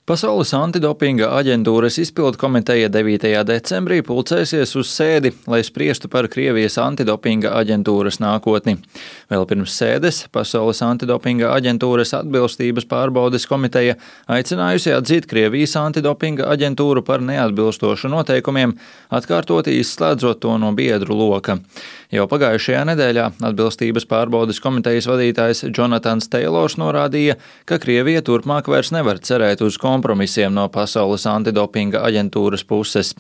Pasaules antidopinga aģentūras izpildu komiteja 9. decembrī pulcēsies uz sēdi, lai spriestu par Krievijas antidopinga aģentūras nākotni. Vēl pirms sēdes Pasaules antidopinga aģentūras atbilstības pārbaudes komiteja aicinājusi atzīt Krievijas antidopinga aģentūru par neatbilstošu noteikumiem, atkārtoti izslēdzot to no biedru loka. Jau pagājušajā nedēļā atbilstības pārbaudes komitejas vadītājs Jonatans Teilors norādīja, ka Krievija turpmāk vairs nevar cerēt uz kompromisiem no Pasaules antidopinga aģentūras puses.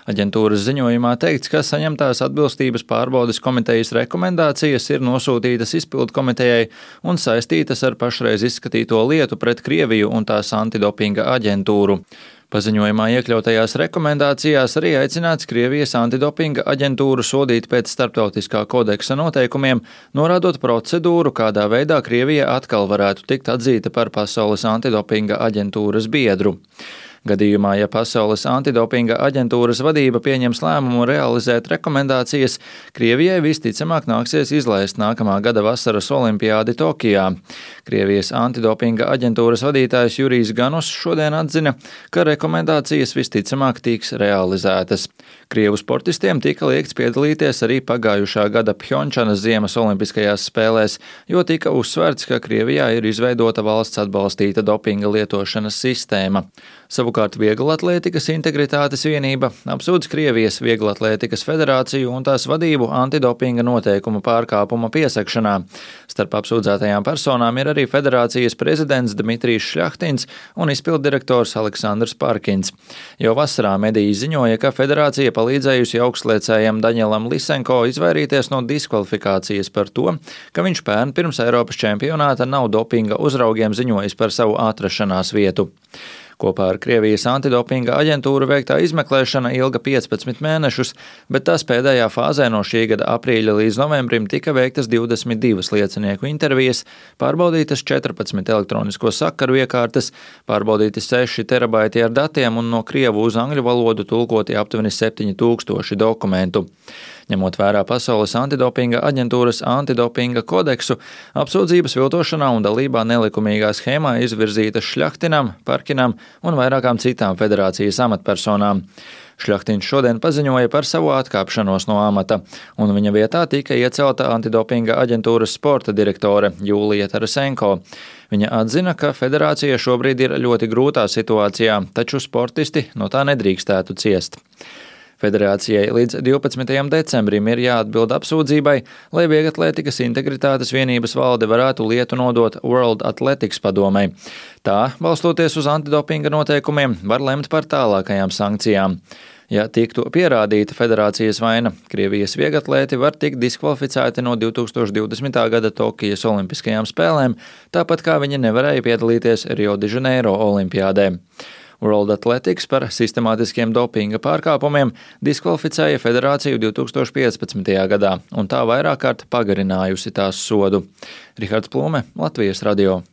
Aģentūras ziņojumā teikts, ka saņemtās atbilstības pārbaudes komitejas rekomendācijas ir nosūtītas izpildu komitejai un saistītas ar pašreiz izskatīto lietu pret Krieviju un tās antidopinga aģentūru. Paziņojumā iekļautajās rekomendācijās arī aicināts Krievijas antidopinga aģentūru sodīt pēc starptautiskā kodeksa noteikumiem, norādot procedūru, kādā veidā Krievija atkal varētu tikt atzīta par Pasaules antidopinga aģentūras biedru. Gadījumā, ja Pasaules antidopinga aģentūras vadība pieņems lēmumu realizēt rekomendācijas, Krievijai visticamāk nāksies izlaist nākamā gada vasaras olimpiādi Tokijā. Krievijas antidopinga aģentūras vadītājs Jurijs Ganus šodien atzina, ka rekomendācijas visticamāk tiks realizētas. Krievu sportistiem tika liegts piedalīties arī pagājušā gada Pjončanas ziemas olimpiskajās spēlēs, jo tika uzsverts, ka Krievijā ir izveidota valsts atbalstīta dopinga lietošanas sistēma. Savukārt Vieglatlētikas integritātes vienība apsūdz Krievijas Vieglatlētikas federāciju un tās vadību antidopinga noteikumu pārkāpuma piesakšanā. Starp apsūdzētajām personām ir arī federācijas prezidents Dmitrijs Šļahtins un izpilddirektors Aleksandrs Parkins. Jau vasarā mediji ziņoja, ka federācija palīdzējusi augstliecējam Daņelam Lisenko izvairīties no diskvalifikācijas par to, ka viņš pērn pirms Eiropas čempionāta nav dopinga uzraugiem ziņojis par savu atrašanās vietu. Kopā ar Krievijas antidopinga aģentūru veiktā izmeklēšana ilga 15 mēnešus, bet tās pēdējā fāzē no šī gada aprīļa līdz novembrim tika veiktas 22 liecinieku intervijas, pārbaudītas 14 elektronisko sakaru iekārtas, pārbaudīti 6 terabaiti ar datiem un no krievu uz angļu valodu tulkoti aptuveni 7000 dokumentu. Ņemot vērā Pasaules antidopinga aģentūras antidopinga kodeksu, apsūdzības viltošanā un dalībā nelikumīgā schēmā izvirzītas Šļahtinam, Parkinam un vairākām citām federācijas amatpersonām. Šļahtins šodien paziņoja par savu atkāpšanos no amata, un viņa vietā tika iecelta antidopinga aģentūras sporta direktore Jūlija Tarasenko. Viņa atzina, ka federācija šobrīd ir ļoti grūtā situācijā, taču sportisti no tā nedrīkstētu ciest. Federācijai līdz 12. decembrim ir jāatbild apsūdzībai, lai Vieglatlētikas integritātes vienības valde varētu lietu nodot World Athletics padomei. Tā, balstoties uz antidopinga noteikumiem, var lemt par tālākajām sankcijām. Ja tiktu pierādīta federācijas vaina, Krievijas vieglatlēti var tikt diskvalificēti no 2020. gada Tokijas olimpiskajām spēlēm, tāpat kā viņi nevarēja piedalīties Rio de Janeiro olimpiādē. World Athletics par sistemātiskiem dopinga pārkāpumiem diskvalificēja federāciju 2015. gadā, un tā vairāk kārt pagarinājusi tās sodu. Rihards Plūme, Latvijas radio.